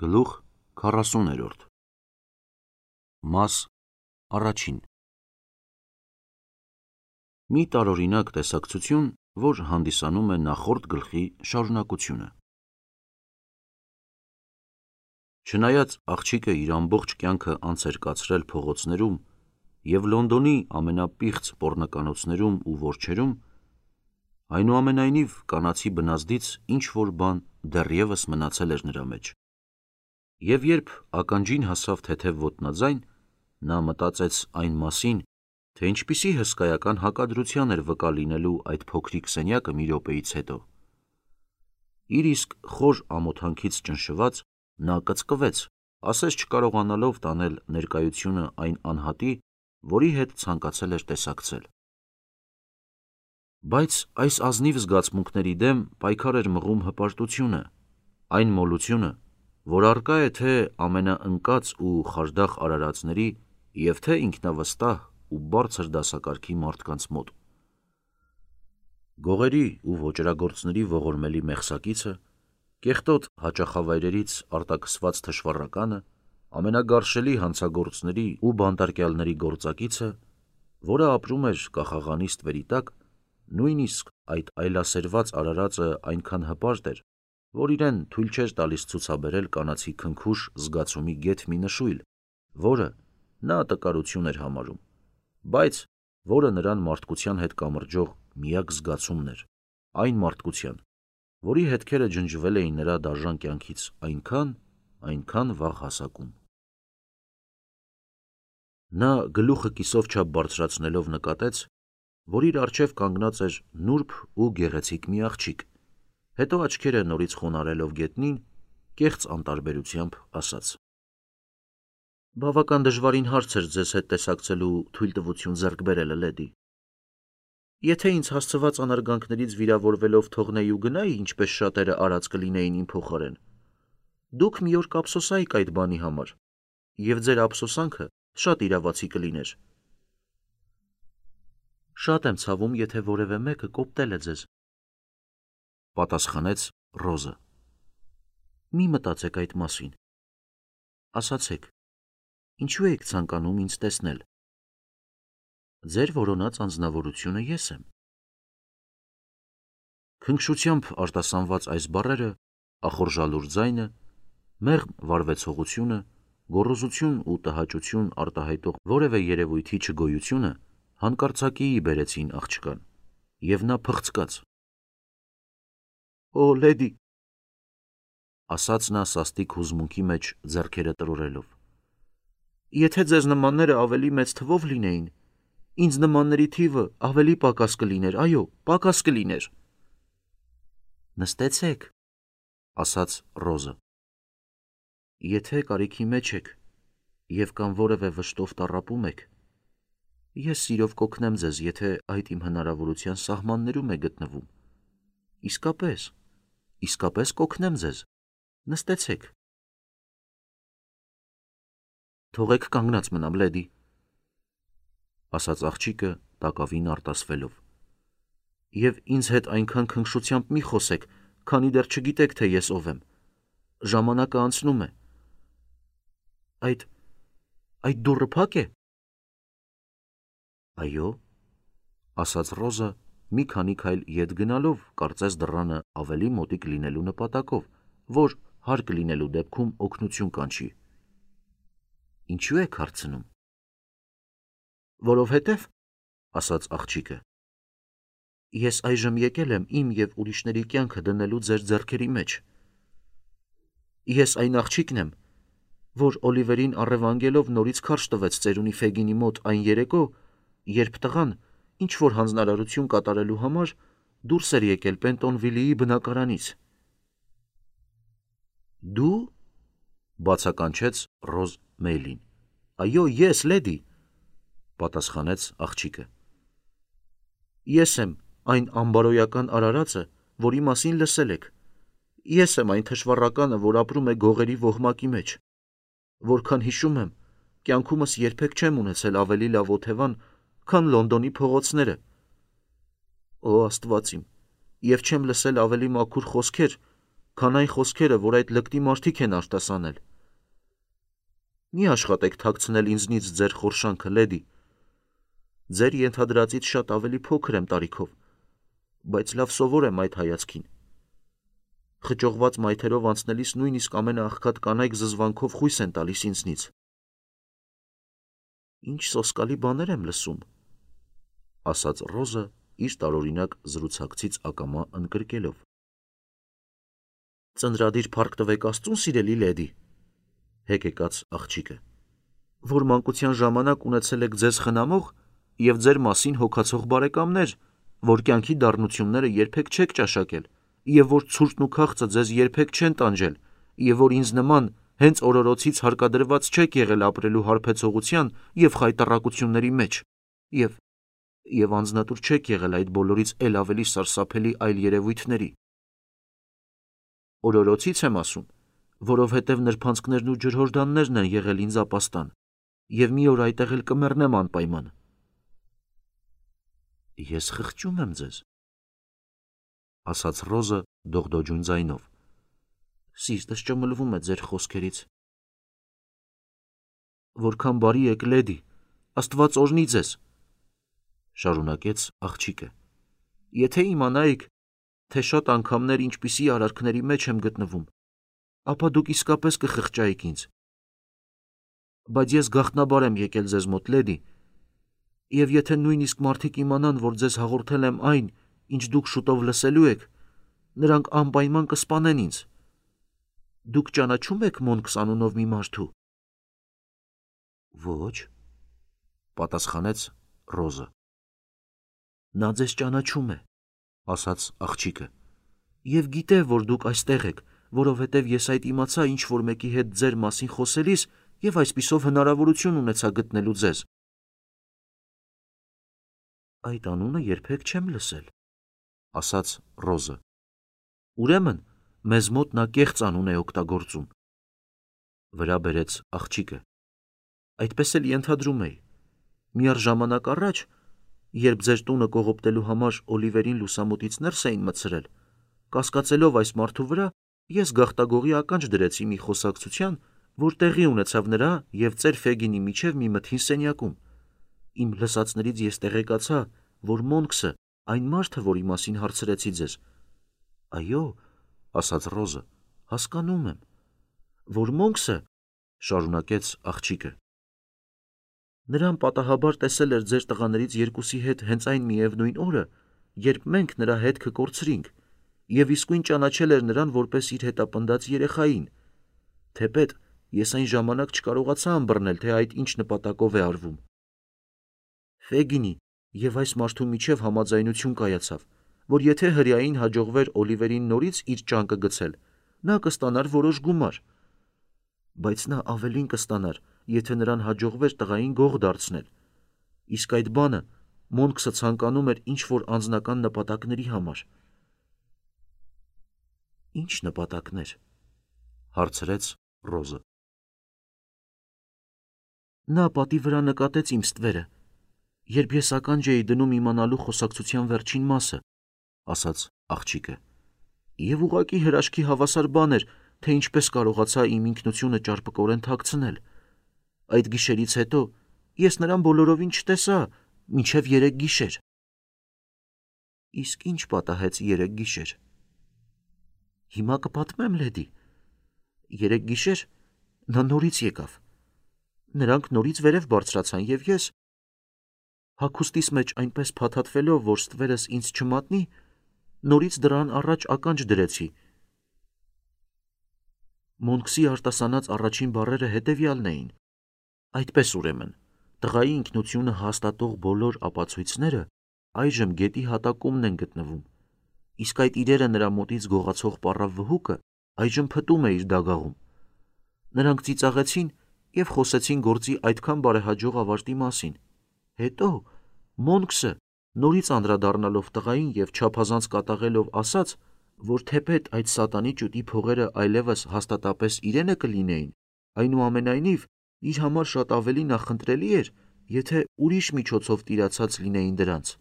Գլուխ 40 Մաս առաջին Մի տարօրինակ տեսակցություն, որ հանդիսանում է նախորդ գլխի շարունակությունը։ Չնայած աղջիկը իր ամբողջ կյանքը անց էր կացրել փողոցներում և Լոնդոնի ամենապիղծ պոռնկանոցներում ու որջերում, այնուամենայնիվ կանացի բնազդից ինչ-որ բան դեռևս մնացել էր նրա մեջ։ Եվ երբ ականջին հասավ թեթև ոտնաձայն, նա մտածեց այն մասին, թե ինչպիսի հսկայական հակադրության էր վկա լինելու այդ փոքրիկ սենյակը մի րոպեից հետո։ Իր իսկ խոր ամոթանքից ճնշված, նա կծկվեց, ասես չկարողանալով տանել ներկայությունը այն անհատի, որի հետ ցանկացել էր տեսակցել։ Բայց այս ազնիվ զգացմունքների դեմ պայքար էր մղում հպարտությունը, այն մոլությունը, որ առկա է թե ամենաընկած ու խարդախ արարածների և թե ինքնավստահ ու բարձր դասակարգի մարդկանց մոտ։ Գողերի ու ոճրագործների ողորմելի մեղսակիցը, կեղտոտ հաճախավայրերից արտաքսված թշվառականը, ամենագարշելի հանցագործների ու բանտարկյալների գործակիցը, որը ապրում էր կախաղանի ստվերի տակ, նույնիսկ այդ այլասերված արարածը այնքան հպարտ էր, որ իրեն թույլ չէր տալիս ցուցաբերել կանացի քնքուշ զգացումի գեթ մի նշույլ, որը նա տկարություն էր համարում, բայց որը նրան մարդկության հետ կամրջող միակ զգացումն էր, այն մարդկության, որի հետքերը ջնջվել էին նրա դաժան կյանքից այնքան վաղ հասակում։ Նա գլուխը կիսով չափ բարձրացնելով նկատեց, որ իր առջև կանգնած էր նուրբ ու գեղեցիկ մի աղջիկ, հետո աչքերը նորից խոնարհելով գետնին, կեղծ անտարբերությամբ ասաց. «Բավական դժվարին հարց էր ձեզ հետ տեսակցելու թույլտվություն ձեռք բերելը, լեդի։ Եթե ինձ հասցված անարգանքներից վիրավորվելով թողնեի ու գնայի, ինչպես շատերը արած կլինեին իմ փոխարեն, դուք մի օր կափսոսայիք այդ բանի համար, և ձեր ափսոսանքը շատ իրավացի կլիներ։ Շատ եմ ցավում, եթե որևէ մեկը կոպտել է ձեզ, պատասխանեց Ռոզը։ Մի մտածեք այդ մասին։ Ասացեք, ինչու եք ցանկանում ինձ տեսնել։ Ձեր որոնած անձնավորությունը ես եմ։ Քնքշությամբ արտասանված այս բառերը, ախորժալուր ձայնը, մեղմ վարվեցողությունը, գոռոզություն ու տհաճություն արտահայտող որևէ երևույթի չգոյությունը հանկարծակիի բերեցին աղջկան, և նա փխցկաց։ Օ, լեդի, ասաց նա սաստիկ հուզմունքի մեջ ձեռքերը տրորելով, եթե ձեզ նմանները ավելի մեծ թվով լինեին, ինձ նմանների թիվը ավելի պակաս կլիներ, այո, պակաս կլիներ։ Նստեցեք, ասաց Ռոզը։ Եթե կարիքի մեջ եք և կամ որևէ վշտով տառապում եք, ես սիրով կօգնեմ ձեզ, եթե այդ իմ հնարավորության սահմաններում է գտնվում։ Իսկապես կօգնեմ ձեզ։ Նստեցեք։ Թողեք կանգնած մնամ, լեդի, ասաց աղջիկը տակավին արտասվելով, և ինձ հետ այնքան քնքշությամբ մի խոսեք, քանի դեռ չգիտեք, թե ես ով եմ։ Ժամանակը անցնում է։ Այդ դուռը փակ է։ Այո, ասաց Ռոզը, մի քանի քայլ ետ գնալով, կարծես դռանը ավելի մոտիկ լինելու նպատակով, որ հարկ լինելու դեպքում օգնություն կանչի։ Ինչու եք հարցնում։ Որովհետև, ասաց աղջիկը, ես այժմ եկել եմ իմ և ուրիշների կյանքը դնելու ձեր ձեռքերի մեջ։ Ես այն աղջիկն եմ, որ Օլիվերին առևանգելով նորից քարշ տվեց ծերունի Ֆեգինի մոտ այն երեկո, երբ տղան, ինչ-որ հանձնարարություն կատարելու համար, դուրս էր եկել Պենտոնվիլիի բնակարանից։ Դու, բացականչեց Ռոզ Մեյլին։ Այո, ես, լեդի, պատասխանեց աղջիկը։ Ես եմ այն ամբարոյական արարածը, որի մասին լսել եք։ Ես եմ այն թշվառականը, որ ապրում է գողերի ոհմակի մեջ։ Որքան հիշում եմ, կյանքումս երբեք չեմ ունեցել ավելի լավ օթևան, քան Լոնդոնի փողոցները։ Օ, Աստված իմ, և չեմ լսել ավելի մաքուր խոսքեր, քան այն խոսքերը, որ այդ լկտի մարդիկ են արտասանել։ Մի աշխատեք թաքցնել ինձնից ձեր խորշանքը, լեդի։ Ձեր ենթադրածից շատ ավելի փոքր եմ տարիքով, բայց լավ սովոր եմ այդ հայացքին։ Խճողված մայթերով անցնելիս նույնիսկ ամենաաղքատ կանայք զզվանքով խույս են տալիս ինձնից։ Ինչ սոսկալի բաներ եմ լսում, ասաց Ռոզը իր տարօրինակ զրուցակցից ակամա ընկրկելով։ Ծնրադիր փառք տվեք Աստծուն, սիրելի լեդի, հեկեկաց աղջիկը, որ մանկության ժամանակ ունեցել եք ձեզ խնամող և ձեր մասին հոգացող բարեկամներ, որ կյանքի դառնությունները երբեք չեք ճաշակել, և որ ցուրտն ու քաղցը ձեզ երբեք չեն տանջել, և որ ինձ նման հենց օրորոցից հարկադրված չեք եղել ապրելու հարբեցողության և խայտառակությունների մեջ, և անձնատուր չեք եղել այդ բոլորից էլ ավելի սարսափելի այլ երևույթների։ Օրորոցից եմ ասում, որովհետև նրբանցքներն ու ջրհորդաններն են եղել ինձ ապաստան, և մի օր այդտեղ էլ կմեռնեմ անպայման։ Ես խղճում եմ ձեզ, ասաց Ռոզը դողդոջուն ձայնով։ Սիրտս ճմլվում է ձեր խոսքերից։ Որքան բարի եք, լեդի, Աստված օրհնի ձեզ, շարունակեց աղջիկը։ Եթե իմանայիք, թե շատ անգամներ ինչպիսի արարքների մեջ եմ գտնվում, ապա դուք իսկապես կխղճայիք ինձ։ Բայց ես գաղտնաբար եմ եկել ձեզ մոտ, լեդի, և եթե նույնիսկ մարդիկ իմանան, որ ձեզ հաղորդել եմ այն, ինչ դուք շուտով լսելու եք, նրանք անպայման կսպանեն ինձ։ Դուք ճանաչո՞ւմ եք Մոնքս անունով մի մարդու։ Ոչ, պատասխանեց Ռոզը։ Նա ձեզ ճանաչում է, ասաց աղջիկը, և գիտե, որ դուք այստեղ եք, որովհետև ես այդ իմացա ինչ-որ մեկի հետ ձեր մասին խոսելիս և այսպիսով հնարավորություն ունեցա գտնելու ձեզ։ Այդ անունը երբեք չեմ լսել, ասաց Ռոզը։ Ուրեմն, մեզ մոտ նա կեղծ անուն է օգտագործում, վրա բերեց աղջիկը։ Այդպես էլ ենթադրում էի։ Միառժամանակ առաջ, երբ ձեր տունը կողոպտելու համար Օլիվերին լուսամուտից ներս էին մտցրել, կասկածելով այս մարդու վրա, ես գաղտագողի ականջ դրեցի մի խոսակցության, որ տեղի ունեցավ նրա և ծեր Ֆեգինի միջև մի մթին սենյակում։ Իմ լսածներից ես տեղեկացա, որ Մոնքսը այն մարդը, որի մասին հարցրեցի ձեզ։ Այո, ասաց Ռոզը, հասկանում եմ, որ Մոնքսը, շարունակեց աղջիկը, նրան պատահաբար տեսել էր ձեր տղաներից երկուսի հետ հենց այն միևնույն օրը, երբ մենք նրա հետքը կորցրինք, և իսկույն ճանաչել էր նրան որպես իր հետապնդած երեխային։ Թեպետ ես այն ժամանակ չկարողացա ըմբռնել, թե այդ ինչ նպատակով է արվում։ Ֆեգինի և այս մարդու միջև համաձայնություն կայացավ, որ եթե հրեային հաջողվեր Օլիվերին նորից իր ճանկը գցել, նա կստանար որոշ գումար։ Բայց նա ավելին կստանար, եթե նրան հաջողվեր տղային գող դարձնել։ Իսկ այդ բանը Մոնքսը ցանկանում էր ինչ-որ անձնական նպատակների համար։ Ինչ նպատակներ, հարցրեց Ռոզը։ Նա պատի վրա նկատեց իմ ստվերը, երբ ես ականջ էի դնում իմանալու խոսակցության վերջին մասը, ասաց աղջիկը, և ուղղակի հրաշքի հավասար բան էր, թե ինչպես կարողացա իմ ինքնությունը ճարպկորեն թաքցնել։ Այդ գիշերից հետո ես նրան բոլորովին չտեսա, մինչև 3 գիշեր։ Իսկ ինչ պատահեց 3 գիշեր։ Հիմա կպատմեմ, լեդի։ 3 գիշեր նա նորից եկավ։ Նրանք նորից վերև բարձրացան, և ես, հագուստիս մեջ այնպես փաթաթվելով, որ ստվերս ինձ չմատնի, նորից դռան առաջ ականջ դրեցի։ Մոնքսի արտասանած առաջին բառերը հետևյալն էին. Այդպես ուրեմն, տղայի ինքնությունը հաստատող բոլոր ապացույցները այժմ գետի հատակումն են գտնվում, իսկ այդ իրերը նրա մոտից գողացող պառավ վհուկը այժմ փտում է իր դագաղում։ Նրանք ծիծաղեցին և խոսեցին գործի այդքան բարեհաջող ավարտի մասին։ Հետո Մոնքսը, նորից անդրադառնալով տղային և չափազանց կատաղելով, ասաց, որ թեպետ այդ սատանի ճուտի փողերը այլևս հաստատապես իրենը կլինեին, այնուամենայնիվ իր համար շատ ավելի նախընտրելի էր, եթե ուրիշ միջոցով տիրացած լինեին դրանց,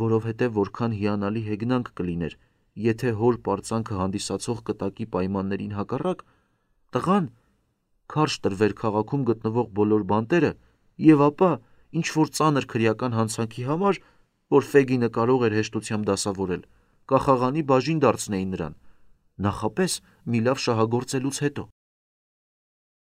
որովհետև որքան հիանալի հեգնանք կլիներ, եթե հոր պարծանքը հանդիսացող կտակի պայմաններին հակառակ, տղան քարշ տրվեր քաղաքում գտնվող բոլոր բանտերը և ապա ինչ-որ ծանր քրեական հանցանքի համար, որ Ֆեգինը կարող էր հեշտությամբ դասավորել, կախաղանի բաժին դարձնեին նրան, նախապես մի լավ շահագործելուց հետո։